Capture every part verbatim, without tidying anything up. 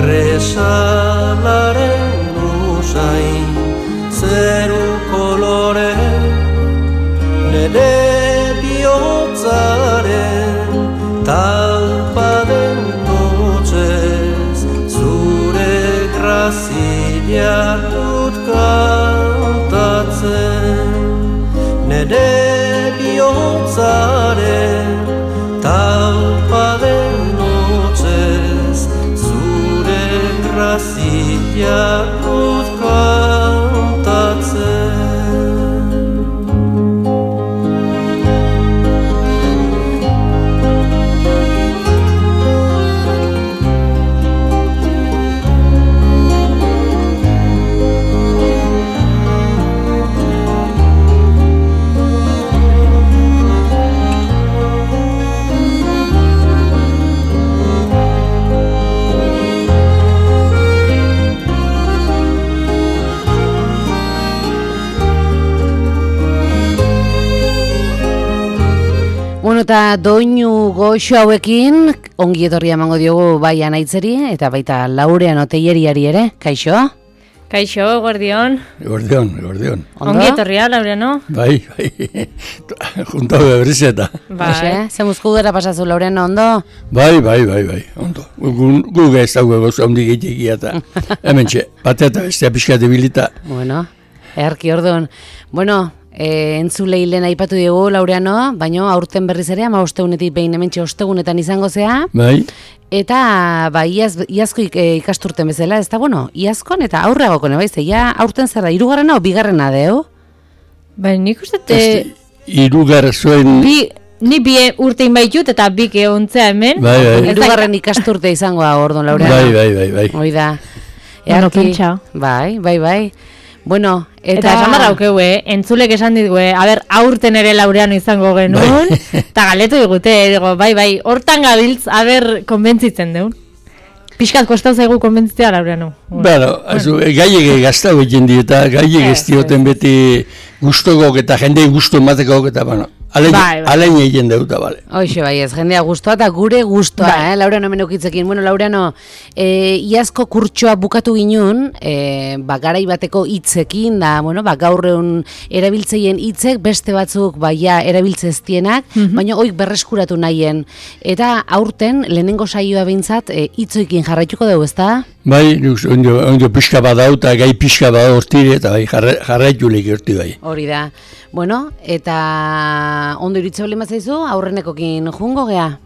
Resalaren usain zeru kolore nere bihotzaren talpaden notzez zure grazia dut kantatzen nere bihotzaren talpaden notzez zure grazia dut kantatzen. Bueno, eta doinu goxo hauekin ongi etorria emango diogu bai Anaitzeri eta baita Laureano Telleriari ere. Kaixo? Kaixo, guardion. Guardion, guardion. Ongi etorria, Laureano. Bai, bai. Junto beberizeta. Bai. Ze muzku dara pasazu, Laureano, ondo? Bai, bai, bai, bai, ondo. Guga ez dago gozu ondi gehiagia eta hemen txe, batea eta bestea pixkate bilita. Bueno, erki orduan. Bueno, E, entzulei lehen aipatu dugu, Laureano, baino aurten berriz ere, ama ostegunetik behin hementxe ostegunetan izango zea. Bai. Eta, ba, iaz, iazko ikasturten bezala, ez da, bueno, iazkon eta aurreagokone, bai, ja aurten zerra, hirugarrena o bigarrena deu? Bai, nik uste... Te... Hirugarra zuen... Bi... Ni bi urtein baitut eta bik egontzea hemen. Bai, bai. Hirugarren ikasturte izango da, orduan, Laureano. Bai, bai, bai, bai. Hoi da. Bueno, pentsa. Bai, bai, bai. Bueno, eta... Eta esan barra aukeu, eh? Entzulek esan ditu, eh? Aber, aurten ere Laureano izango genuen. Eta galetu digute, digo, bai, bai, hortan gabiltz, aber, konbentzitzen deun. Piskat kostau zaigu konbentzitzea, Laureano. Bueno, bueno. Gaiege gaztau egin di, eta gaiege ez dioten beti gustogok eta jendei gustu emateko eta, bueno, alein bai, bai. egin deuta, bale. Hoxe, bai, ez, jendea gustoa eta gure gustoa, bai. eh, Laureano hemen okitzekin. Bueno, Laureano, e, iazko kurtsoa bukatu ginun, e, ba, garai bateko hitzekin, da, bueno, ba, gaurreun erabiltzeien hitzek, beste batzuk, ba, ja, erabiltzeztienak, mm-hmm. baina oik berreskuratu nahien. Eta aurten, lehenengo saioa behintzat, e, hitzoikin jarraituko dugu, ezta? Bai, ondo, ondo pixka badau eta gai pixka badau hortire, eta bai, jarraitu lehik horti bai. Hori da. Bueno, eta ondo iritze bali mazaizu, aurrenekokin jungo gea.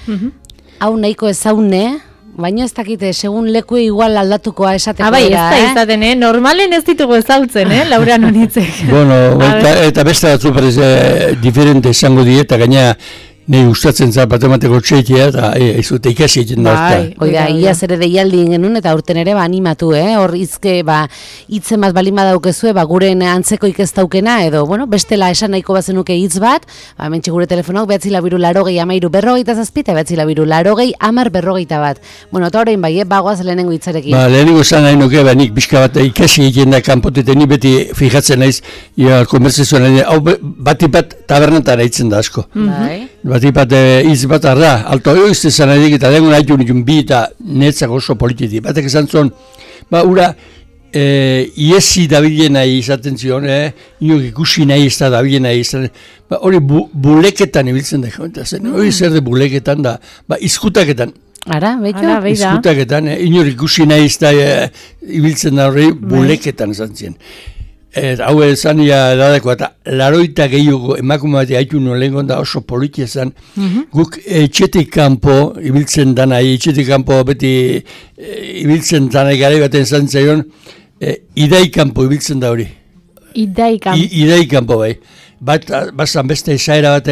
Mm-hmm. Hau nahiko ezaune, baina ez dakite, segun lekue igual aldatukoa esateko. Ah, bai, ez da izaten, eh? Normalen ez ditugu ezautzen, eh? Laureano nitzek. Bueno, eta, eta beste batzu parez eh, diferente izango die, eta gaina nahi gustatzen zara matematiko txekia, eta ez dute ikasi egiten da. Bai, oida, iaz ere deialdi genuen, eta urten ere ba, animatu, eh? Hor izke, ba, hitze bat balin badaukezue, ba, guren antzeko ikestaukena, edo, bueno, bestela esan nahiko bazenuke hitz bat, ba, mentxe gure telefonok, behatzi labiru larogei amairu berrogeita zazpita, behatzi labiru larogei amar berrogeita bat. Bueno, eta horrein bai, eh? Bagoaz lehenengo hitzarekin. Ba, lehenengo zan nahi nuke, ba, nik pixka bat ikasi egiten da kanpotetan, ni beti fijatzen naiz, ia, konbertsazioan nahi, hau batipat tabernetan haitzen da asko. Bai. Batipat hitz bat arra, alto oizte zan edik eta dengun haitu nikun bi eta netzak oso polititi. Batek esan zon, ba, ura, e, iesi dabilen nahi izaten zion, eh? Inok ikusi nahi ez da dabilen nahi izaten. Ba, hori bu, buleketan ibiltzen da, eta zen, hori zer de buleketan da, ba, izkutaketan. Ara, beiko? Izkutaketan, eh? Inok ikusi nahi ez da e, ibiltzen da hori buleketan esan ziren. Et, hau ezan ia dadeko, eta laroita gehiago emakume bat haitu nuen lehen da oso politia zen. Mm-hmm. Guk etxetik kanpo ibiltzen dana, etxetik kanpo beti e, ibiltzen dana gara baten zan zaion, e, idai kanpo ibiltzen da hori. Idai kanpo? I, idai kanpo bai. Bat, bazan beste esaera bat,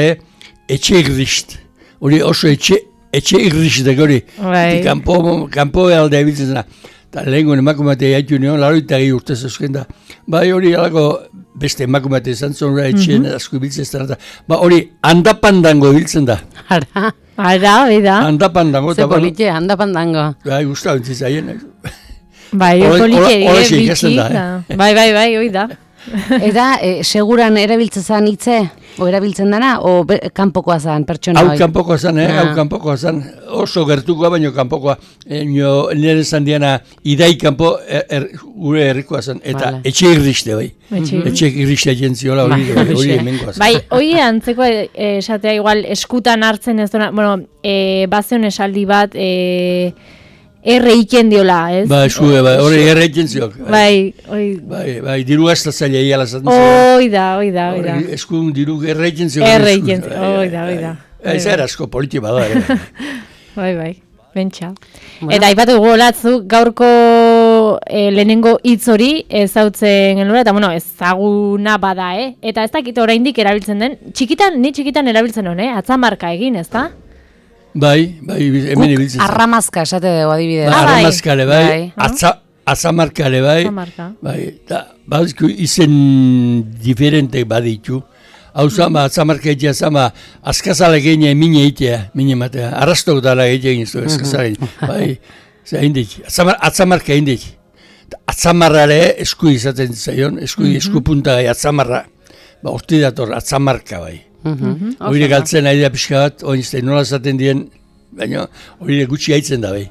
etxe irrist. Hori oso etxe, etxe irristek hori. Bai. Kanpo, kanpo aldea ibiltzen dana. Eta lehenko emakumatea haitu nion, laroita gehi urtez euskien da. Bai hori alako beste emakumatea izan zon etxeen mm-hmm. asko ibiltzen ez da. Ba hori handapandango ibiltzen da. Ara, ara, bida. Handapandango. Ze politxe, handapandango. Bai, guztau entzizaien. Bai, politxe, biki. Bai, bai, bai, hoi da. Eta e, seguran erabiltzen zan hitze? O erabiltzen dana? O be, kanpokoa zan pertsona hau kanpokoa zan, eh? Hau kanpokoa zan, oso gertukoa, baino kanpokoa. E, nire zan diana, idai kanpo er, er, gure herrikoa zan. Eta vale. Etxe irriste, bai. Etxe, etxe irriste jentziola hori, hori, hori emengoa zan. Bai, hori antzeko esatea igual eskutan hartzen ez duna, bueno, e, bazion esaldi bat, e, erre iken diola, ez? Ba, esue, bai, hori erre iken ziok. Bai, oi. Bai, bai, diru hasta zaila iala zaten ziok. Oi da, oi da, oi da. Eskun diru erre iken ziok. Erre iken ziok, oi da, oi da. Ez era asko politi bada, ere. Bai, bai, bentsa. Eta aipatu dugu olatzu, gaurko e, lehenengo hitz hori ezautzen genuen, eta bueno, ezaguna bada, eh? Eta ez dakit oraindik erabiltzen den, txikitan, ni txikitan erabiltzen hon, eh? Atzamarka egin, ez da? Bai, bai, hemen ibiltzen. Arramazka, esate dugu adibidez. Ba, arramazkale, bai, atza, atzamarkale, bai, bai, eta badizko izen diferente baditu. Hau zama, atzamarka egitea zama, azkazala egine mine egitea, mine matea, arrastok dara egitea egin zu, azkazala egin, bai, zera indik, atzamarka indik. Atzamarrare esku izaten zaion, esku, esku punta gai, atzamarra, ba, urti dator, atzamarka bai. Hori galtzen ari da pixka bat, oinzte, nola zaten dien, baina hori gutxi haitzen da bai.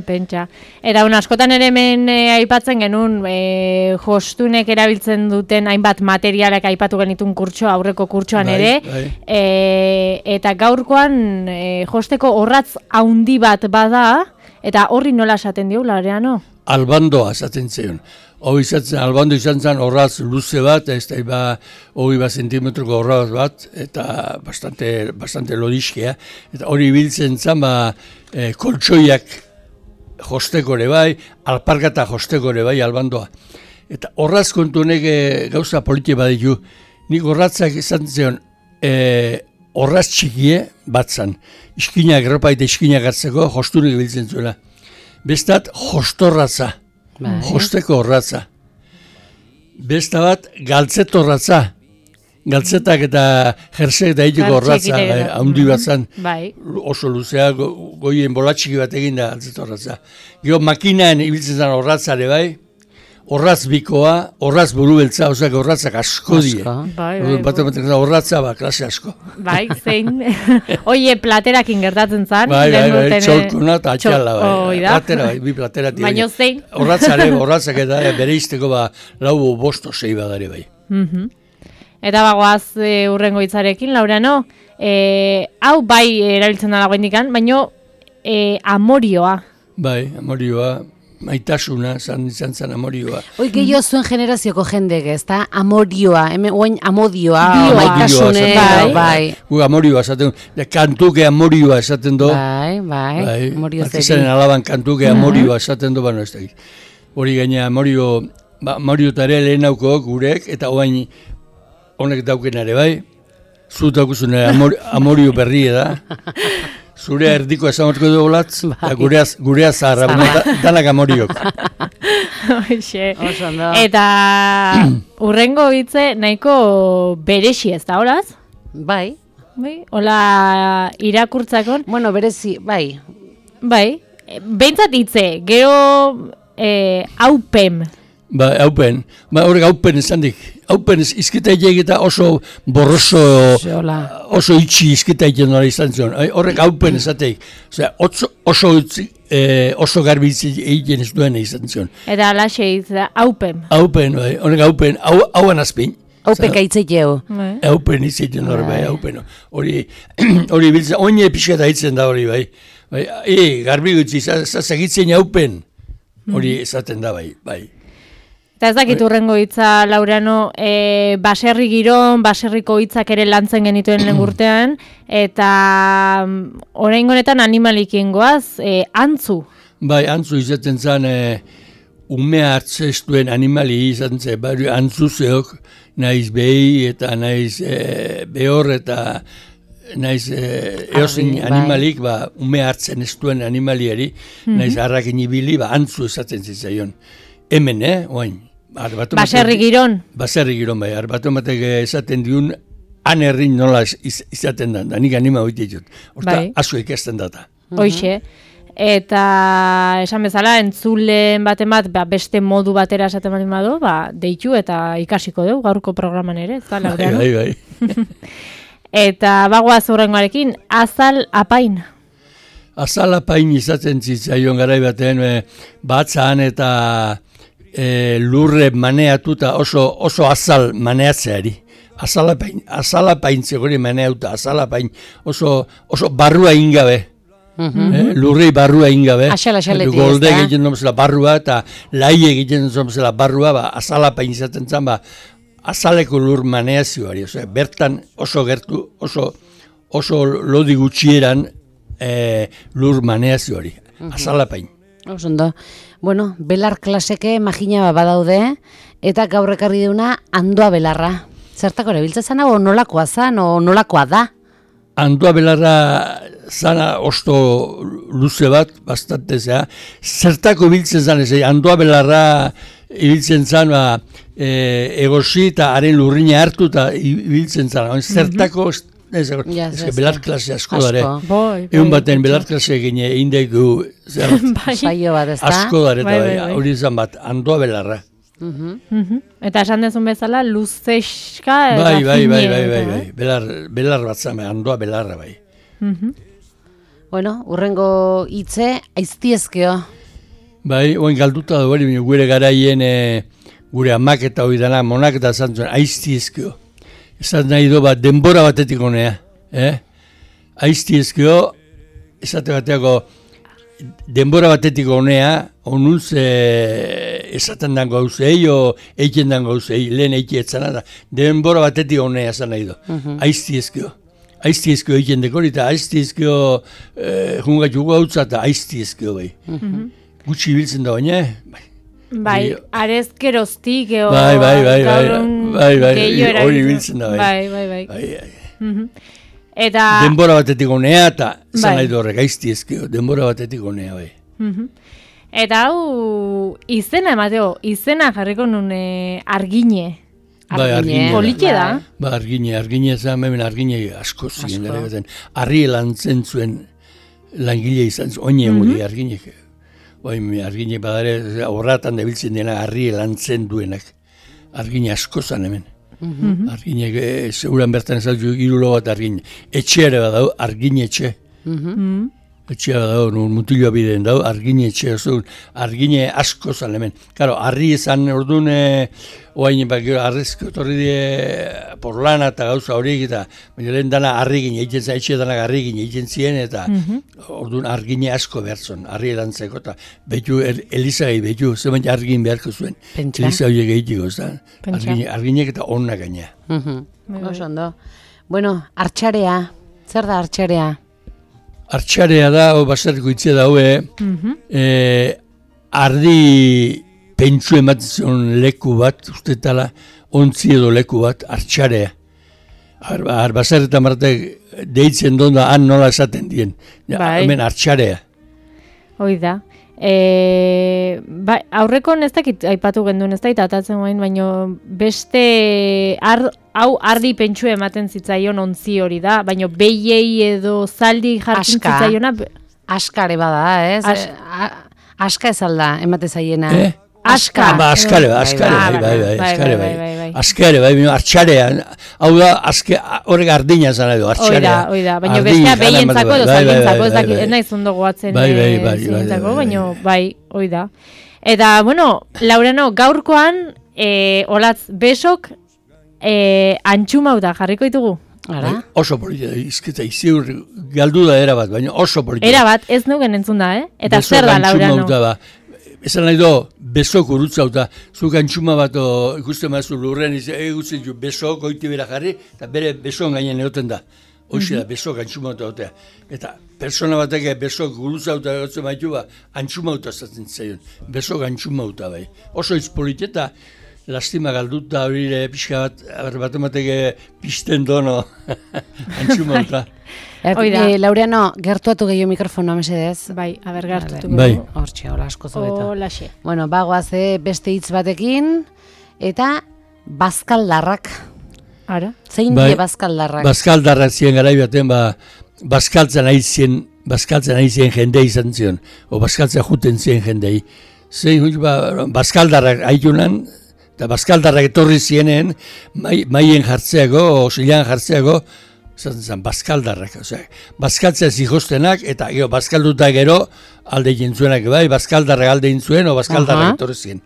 Pentsa. Eta un askotan ere hemen e, aipatzen genuen, e, jostunek erabiltzen duten hainbat materialak aipatu genitun kurtso, aurreko kurtsoan bai, ere, bai. E, eta gaurkoan e, josteko horratz haundi bat bada, eta horri nola esaten dio, Laureano? Albandoa esaten zion. Hoi izatzen, albando izan zen horraz luze bat, ez da iba hoi bat zentimetroko horraz bat, eta bastante, bastante lodiskea. Eta hori biltzen zen, ba, e, koltsoiak jostekore bai, alpargata jostekore bai, albandoa. Eta horraz kontu honek e, gauza politia baditu. Nik horratzak izan zion, e, horraz txikie bat zan. Iskinak, ropa eta iskinak hartzeko josturik biltzen zuela. Bestat, jostorratza. Bai. Josteko horratza. Besta bat, galtzetorratza. Galtzetak eta jersek eta egiteko horratza, haundi bat zan. Bai. Oso luzea, go, goien bolatxiki bat egin da galtzetorratza. Gero makinaen ibiltzen zen horratzare bai, horratz bikoa, horratz buru beltza, ozak horratzak asko die. Bai, bai, bai. Horratza ba, klase asko. Bai, zein. Oie, platerakin gertatzen zan. Bai, bai, bai, txolkuna eta atxala bai. Platera, bai, bi platera tira. Baina zein. Horratzare, horratzak eta bere izteko ba, lau bosto zei badare bai. Mm-hmm. Eta bagoaz e, urrengo hitzarekin, Laureano, e, hau bai erabiltzen da dagoen dikan, baina e, amorioa. Bai, amorioa. Maitasuna, zan izan zan amorioa. Hoi gehiago zuen generazioko jendek, ez da? Amorioa, hemen oain amodioa, Bioa, maitasune, bai. bai. Gu amorioa esaten du, kantuke amorioa esaten du. Bai, bai, bai. amorio zeri. Artizaren alaban kantuke amorioa esaten du, bano ez da. Hori gaina amorio, ba, amorio tare lehen auko gurek, eta oain honek dauken ere, bai. Zut daukuzune amor, amorio berri da. Zure erdiko esamorko du olatz, bai. Gureaz, gureaz zaharra, da, danak amoriok. Eta urrengo hitze nahiko beresi ez da, horaz? Bai. Bai, hola irakurtzakon. Bueno, berezi, bai. Bai, behintzat hitze, gero eh, haupen. Ba, haupen, ba, horrek haupen esan dik. Haupen izkita egita oso borroso, oso itxi izkita egiten hori izan zion. Horrek haupen esateik. Osea, oso, oso, eh, oso garbi egiten ez duen izan zion. Eta alaxe izan, haupen. Haupen, bai, horrek haupen, hau, hauan azpin. Haupeka itzeteo. Haupen itzeiten hori, bai, haupen. Hori, hori biltzen, oine pixkata hitzen da hori, bai. Bai, e, garbi gutzi, zazagitzen haupen. Hori esaten da, bai, bai. Eta ez dakit urrengo hitza, Laureano, e, baserri giron, baserriko hitzak ere lantzen genituen lehen urtean, eta oraingo honetan animalikien goaz, e, antzu. Bai, antzu izaten zen, e, umea hartzestuen animali izan zen, bai, antzu zeok, naiz behi eta naiz e, behor eta naiz e, eosin animalik, ba, umea hartzen ez duen animaliari, mm-hmm. naiz harrakin ibili, ba, antzu esaten zitzaion. Hemen, eh, oain. Baserri giron. Baserri giron, bai. Arbatu batek esaten diun, han herrin nola iz, izaten da. Da nik anima hoite ditut. Horta, bai. Asko ikasten data. Hoixe. Eta esan bezala, entzulen baten bat, ba, beste modu batera esaten baldin badu, ba, deitu eta ikasiko dugu gaurko programan ere, ez da, Laureano? Bai, bai, bai. Eta bagoaz horrengoarekin, azal apain. Azal apain izaten zitzaion garai baten, e, batzan eta e, lurre maneatuta oso, oso azal maneatzeari. Azalapain, azalapain zegori maneauta, azalapain oso, oso barrua ingabe. Mhm. Eh, lurrei barrua ingabe. Axala, axaletik, Golde ezta? egiten domzela barrua eta lai egiten domzela barrua, ba, azalapain izaten zen, ba, azaleko lur maneazioari. Osea, bertan oso gertu, oso, oso lodi gutxieran eh, lur maneazioari. Azalapain. Oso ondo. Bueno, belar klaseke magina badaude, eta gaur ekarri deuna andoa belarra. Zertako erabiltzen zana, o nolakoa zan, o nolakoa da? Andoa belarra zana osto luze bat, bastante zea. Zertako ibiltzen zan, ez, andoa belarra ibiltzen zan, ba, e, egosi eta haren lurrina hartu eta ibiltzen zan. Zertako, ez, Ja, ez, ez, belar ez. klase asko Asko. dare. Boi, Egun baten belar klase gine indegu, zer, Saio bat, ez da? asko dare, Bai, eta bai, bai, bai. hori izan bat, andoa belarra. Mhm. Mhm. Eta esan dezun bezala, luzeska eta Bai, bai, bai, fine bai, bai, eta, bai, eh? belar, belar bat zame, andoa belarra bai. Mhm. Bueno, urrengo hitze aiztiezkeo. Bai, oin galduta da hori, baina gure garaien e, gure amak eta hori dana, monak eta zantzuen, aiztiezkeo. Esan nahi do bat, denbora batetik honea, eh? Aiztiezkeo, esate bateako, denbora batetik honea, onuz e, esaten dan gauzei, o eiken dan gauzei, lehen eiki etzana da, denbora batetik honea esan nahi do. Aiztiezkeo. Aiztiezkeo eiken dekori, eta aiztiezkeo e, jungatuko hautza, eta aiztiezkeo bai. Gutxi biltzen da baina, bai. Bai, Bai. arezkeroztik eo... Bai, bai, bai, bai, gaur egun bai, bai, gehiago hori erabiltzen. biltzen da, bai. Bai, bai, bai. Bai, bai. Mhm. Eta... Denbora batetik honea, eta Bai. zan nahi du horrek, aiztiezkeo, denbora batetik honea, bai. Mhm. Eta hau, izena emateo, izena jarriko nun eh, argine. Bai, Argine, argine. Politxe da. Ba, argine, argine zan, hemen argine asko ziren, gara baten. Arri lantzen zuen langile izan zuen, oine mm arginek. Oin, argine badare, horratan debiltzen dena arri lantzen duenak. Argine asko zan hemen. Arginek, e, seguran bertan ezautu irulo bat argine. Etxeare badau, argine etxe. Mhm. Etxea dago, mutiloa bideen dago, argine etxea zuen, argine asko zan hemen. Karo, arri izan orduan, e, oain, ba, gero, arrezko torri die porlana eta gauza horiek, eta baina lehen dana arri gine, egiten zen, etxe danak arri gine egiten ziren, eta orduan argine asko behar zuen, arri erantzeko, eta betu, er, Elizagai betu, zemen argin beharko zuen. Pentsa. Eliza horiek egiteko, ez da? Pentsa. Argine, arginek eta onna gaina. Mhm. Bai, bai. Oso ondo. Bueno, artxarea. Zer da artxarea? Artxarea da, o basarriko itzea da, hoe, Mhm. e, ardi pentsu ematen zion leku bat, ustetala, ontzi edo leku bat, artxarea. Ar, ar basarreta martek deitzen donda, han nola esaten dien. Ja, Bai. hemen artxarea. Hoi da. E, ba, aurreko ez dakit aipatu genduen ez da, eta atatzen guain, baina beste ar, hau ardi pentsu ematen zitzaion ontzi hori da, baina behiei edo zaldi jartzen Aska. zitzaiona. Askare bada, ez? As- Eh, a- aska ez alda, emate zaiena. Eh? Aska. Ah, ba, askare, Bai, askare, bai, bai, bai, bai, bai, askare, bai, bai. bai, bai. Askare, bai, baina artxarea. Hau da, aske, horrek ardina zan edo, Hoi da, artxarea. hoi da, baina Ardin, bestea jana behientzako ematen, edo bai, bai, zaldintzako ez bai, dakit, bai, ez naiz ondo goatzen Bai, bai, bai, bai, zientzako, bai, bai, baina bai. bai, hoi da. Eta, bueno, Laureno, gaurkoan, e, olatz, besok, e, antxumauta jarriko ditugu. Ara? Bai, oso polita, izketa, iziur galdu da era bat, baina oso polita. Era bat, ez nugen entzun da, eh? Eta Beso zer da, gantxuma Laurano? uta ba. Esan nahi do, besok urutzauta, zu gantxuma bat o, ikusten mazu lurren, egutzen ju besok goiti bera jarri, eta bere besok gainen egoten da. Hoxe da, besok gantxuma uta otea. Eta persona batek besok gurutzauta egotzen maitu ba, antxuma uta zaten zaion. Besok gantxuma uta bai. Oso hitz polit eta lastima galduta horire pixka bat, bat emateke pisten dono antxuma uta. Hoi da. Eh, Laureano, gertuatu gehiago mikrofonoa mesedez. Bai, aber gartutu. Bai. Hortxe, hola asko zobeto. Olaxe. Bueno, bagoaz eh, beste hitz batekin, eta bazkaldarrak. Ara? Zein Bai. die bazkaldarrak? Bazkaldarrak ziren garai baten, ba, bazkaltzen ari ziren bazkaltzen ari ziren jende izan zion, o bazkaltzen juten ziren jendei. Zein, ba, bazkaldarrak haitunan, eta bazkaldarrak etorri zienen, mai, maien jartzeago, o zilean jartzeago, zaten zen, bazkaldarrak. Osea, bazkaltzea zihoztenak, eta gero, bazkalduta gero, alde jentzuenak bai, bazkaldarrak alde jintzuen, o bazkaldarrak uh-huh. etorri ziren.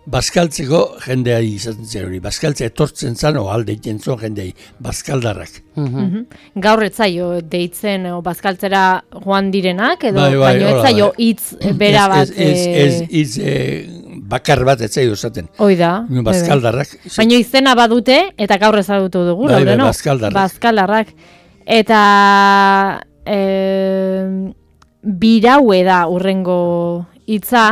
Bazkaltzeko jendeari izaten zen hori, bazkaltzea etortzen zen, o alde jentzuen jendeai, bazkaldarrak. Uh-huh. Gaur etzaio deitzen o bazkaltzera joan direnak, edo bai, bai, baino etzaio hitz bera bat... Ez, ez, ez, ez, ez bakar bat etzaio esaten. Hoi da. Bazkaldarrak. Baino izena badute, eta gaur ezagutu dugu, bai, laude, bai, no? Bazkaldarrak. Bazkaldarrak. Eta... E, biraue da urrengo hitza,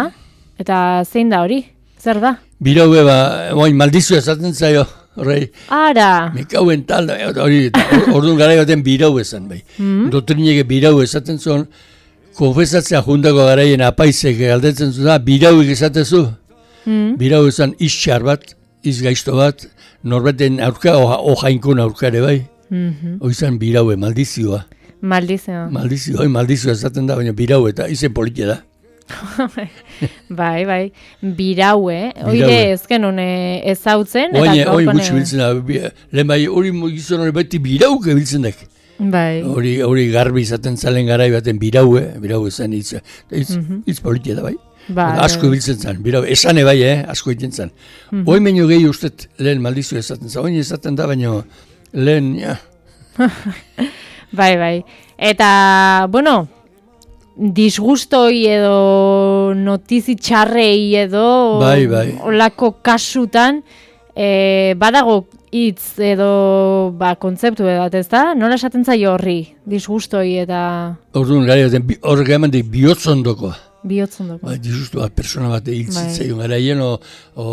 eta zein da hori? Zer da? Biraue ba, oin maldizu esaten zaio, horrei. Ara! Mekauen tal, hori, orduan gara baten biraue esan, bai. Mm-hmm. Doktrineke biraue esaten zuen, konfesatzea jundako garaien apaizek galdetzen zuen, birauik esatezu. Mm-hmm. Biraue esan izxar bat, izgaizto bat, norbaten aurka, ojainkun aurkare, bai. Mm-hmm. Oizan biraue, maldizioa. Maldizioa. Maldizioa, oi, maldizioa esaten da, baina biraue eta izen politia da. bai, bai, biraue, oire ezken hone ezautzen. Oine, oin gutxi biltzen da, lehen bai, hori gizon hori beti birauke biltzen dek. Bai. Hori, hori garbi izaten zalen garai baten biraue, biraue zen hitz, hitz, mm-hmm. hitz politia da bai. Bai, asko biltzen zen, biraue, esane bai, eh, asko egiten zen. Mm-hmm. Oin meino gehi ustet lehen maldizio esaten zen, oin esaten da, baina lehen, ja. bai, bai, eta, bueno, disgustoi edo notizi txarrei edo bai, bai. olako kasutan e, badago hitz edo ba, kontzeptu edat, ez da? Nola esaten zaio horri, disgustoi eta... Orduan, gara, horrek eman dik bihotzondokoa. Bihotzondokoa. Ba, disgustua, persona bat hiltzitzaion bai. Garaien, o, o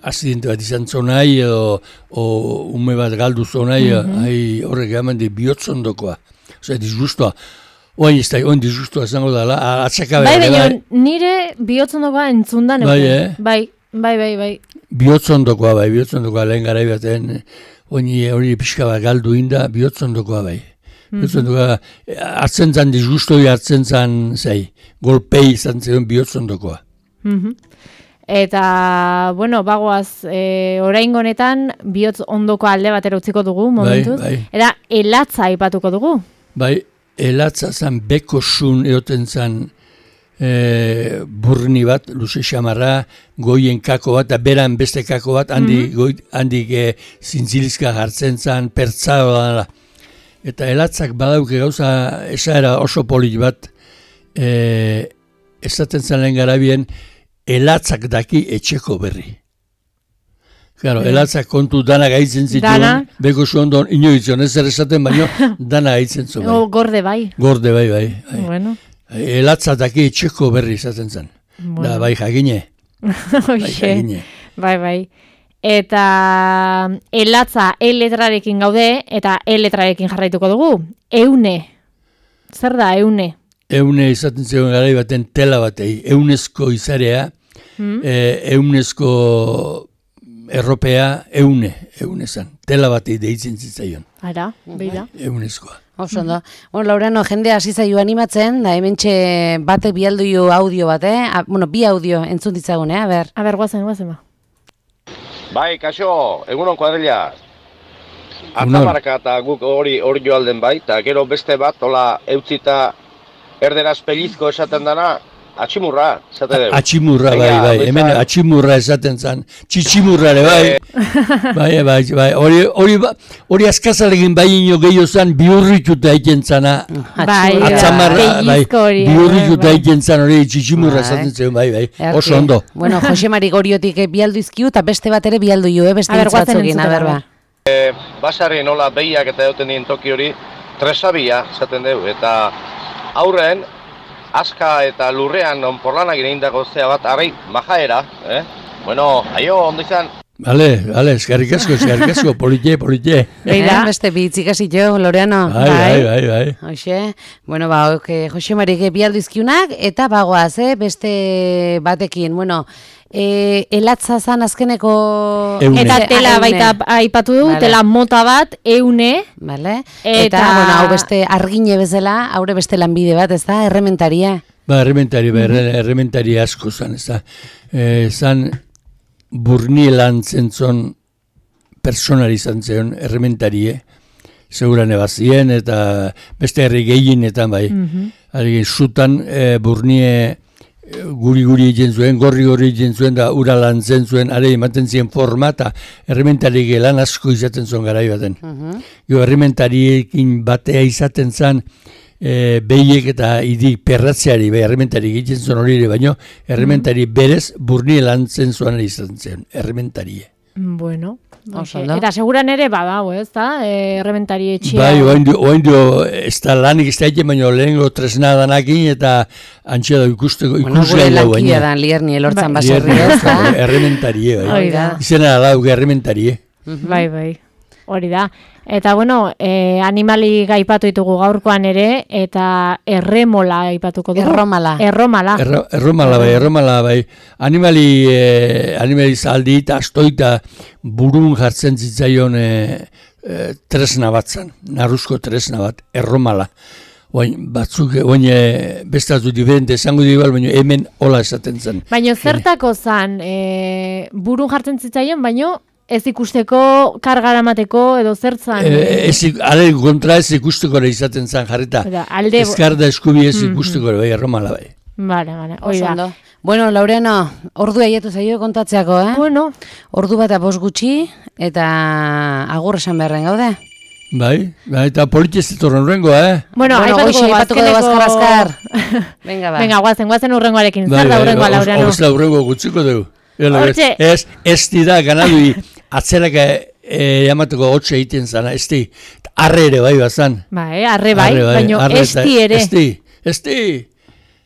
aksidente bat izan zonai, edo o ume bat galdu zonai, mm-hmm. horrek eman dik bihotzondokoa. Osea, disgustua. Oain ez da, oain disgustua zango dala, atzakabe. Bai, baina nire bihotzondokoa entzundan. Bai, eh? Bai, bai, bai, bai. Bihotzondokoa, bai, bihotzondokoa lehen garai baten, oin hori pixka bat galdu inda, bihotzondokoa, bai. Mm-hmm. Bihotzondokoa, hartzen zan disgustoi hartzen zan, zei, golpei izan zen bihotzondokoa. Mm-hmm. Eta, bueno, bagoaz, e, oraingo honetan, bihotz ondoko alde batera utziko dugu, momentuz. Bai, bai. Eta, elatza aipatuko dugu. Bai, elatza zan beko sun eoten zan e, burni bat, luze xamarra, goien kako bat, eta beran beste kako bat, handik mm-hmm. handik e, zintzilizka jartzen zan, pertsao da. Eta elatzak badauke gauza, esaera oso polit bat, e, esaten zan lehen garabien, elatzak daki etxeko berri. Claro, mm. Elatzak kontu dana gaitzen zituen, beko zu ondon inoizion, ez zer esaten baino, dana gaitzen zuen. O, gorde bai. Gorde bai, bai. bai. Bueno. Elatzak daki etxeko berri esaten zen. Bueno. Da, bai jagine. bai jagine. Bai, bai. Eta elatza E letrarekin gaude, eta E letrarekin jarraituko dugu. Eune. Zer da, eune? Eune izaten zegoen garai baten tela batei. Eunezko izarea, mm. e, eunezko erropea, eune, eune zan. Tela batei deitzen zitzaion. Ara, beira. Eunezkoa. Oso ondo. Bueno, Laureano, jende hasi zaio animatzen, da hementxe batek bialdu jo audio bat, eh? A, bueno, bi audio entzun ditzagun, eh? A ber. A ber, guazen, guazen ba. Bai, kaixo, egunon kuadrilla. Atamarka eta guk hori hori joalden bai, eta gero beste bat, hola, eutzita erderaz pelizko esaten dana, atximurra, esaten dugu. Atximurra, bai, bai, hemen atximurra esaten zan, txitximurra, bai, bai, bai, bai, hori, hori, hori askazalegin bai ino gehiago zan, biurrituta egin zana, atzamarra, bai, biurrituta egin zan, hori txitximurra esaten zuen, bai, bai, oso ondo. Bueno, Jose Mari Goriotik bialdu izkiu, eta beste bat ere bialdu jo, eh, beste hitzatzogin, aber, ba. Basarri nola behiak eta egoten dien toki hori, tresabia, esaten dugu, eta aurren, aska eta lurrean onporlanak ineindako zea bat, arrai, majaera, eh? Bueno, aio, ondo izan. Bale, bale, eskarrik asko, eskarrik asko, politie, politie. Eida, beste bitzik hasitxo, Loreano. Bai, bai, bai, bai. Hoxe, bueno, ba, ok, Jose Marik bialdu izkiunak, eta bagoaz, eh, beste batekin, bueno, e, elatza zan azkeneko... Eune. Eta Ah, tela eune. baita aipatu du, Vale. tela mota bat, eune, Vale. Eta- Eta, bueno, hau beste argine bezala, haure beste lanbide bat, ez da, errementaria. Ba, errementari, ba, erre- errementari asko zan, ez da. E, zan burni lantzen zon personari izan zion, errementarie, seguran ebazien, eta beste herri gehienetan bai. Mm Zutan e, burnie guri-guri egin zuen, gorri-gorri egin zuen, da ura lantzen zuen, are ematen ziren forma, eta errementari lan asko izaten zuen garai baten. Jo, errementariekin batea izaten zen, e, behiek eta idi perratzeari, bai, errementari egiten zuen hori ere, baino, errementari berez burnie lantzen zuen izan zen, errementarie. bueno, Oso oke. ondo. Eta seguran ere badau, ez da, e, errementari etxea. Bai, oain dio, oain dio, ez da lanik ez da egin, baina lehengo tresna danakin, eta antxea da ikusteko, Bueno, ikusgai gure lau lankia baina. da, lierni elortzan Bai. baserri, ez da? Errementarie, bai. Hori da. Izena lau, errementarie. Bai, bai. Hori da. Eta bueno, e, animali gaipatu ditugu gaurkoan ere, eta erremola aipatuko dugu. Erromala. Erromala. Erro, erromala bai, erromala bai. Animali, eh, animali zaldi eta astoita burun jartzen zitzaion eh, eh, tresna bat zan, narruzko tresna bat, erromala. Oain, batzuk, oain e, bestatu diferente esango dibal, baina hemen hola esaten zen. Baina zertako zan, e, burun jartzen zitzaion, baino ez ikusteko kargara mateko edo zertzan. E, ez, ik- ale kontra ez ikusteko ere izaten zen jarrita. Eta alde... Ezkar da eskubi ez ikusteko ere, bai, erromala bai. Vale, vale, hori Oso da. ondo. Bueno, Laureano, ordu aiatu zaio kontatzeako, eh? Bueno, Ordu bat apos gutxi, eta agur esan beharren gaude. Bai, bai, eta politez etorren rengo, eh? bueno, Bueno, aipatuko goixe dugu aipatuko dugu azkeneko- azkar-azkar. Venga, ba. Venga, guazen, guazen urrengoarekin. Bai, Zer da bai, urrengoa, os- Laureano? os laurrengo gutziko dugu. Ela, Hortxe. Ez, ez dira ganadui atzeraka e, jamateko hotxe egiten zana, ez di. Arre ere bai bazan. Bai, arre bai, Arre baino arre esti eta- ere. Ez di, ez di.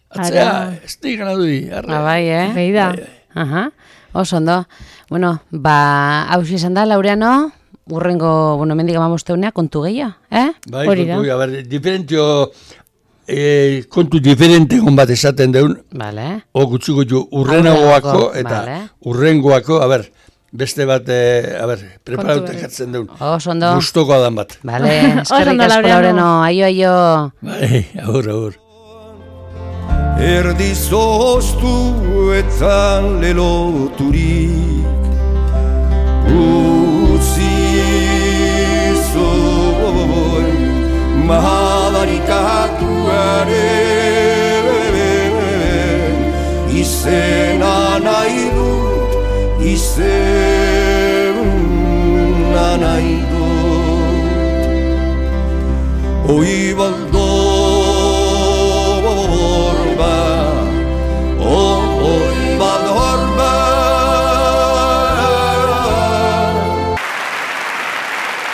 Atzera, Ara. ez di ganadui, arre. Ah, bai, eh? Behi da. Aha, oso ondo. Bueno, ba, hausi esan da, Laureano, urrengo, bueno, mendik amamosteunea, kontu gehiago, eh? Bai, Hori da. kontu, a ber, diferentio, e, kontu diferente egon bat esaten deun, Vale. o gutziko ju urrenagoako, Aurrenagoako, eta vale. urrengoako, a ber, beste bat, e, a ber, preparauta berri. jartzen deun. Oso ondo. Gustoko adan bat. Vale, eskerrik ondo, asko, Laureano. Laureano. Aio, aio. Bai, agur, agur. Erdi zoztu etzan leloturik Utzi zoi mahabarikatuaren Izena nahi dut, izena nahi dut Oi baldo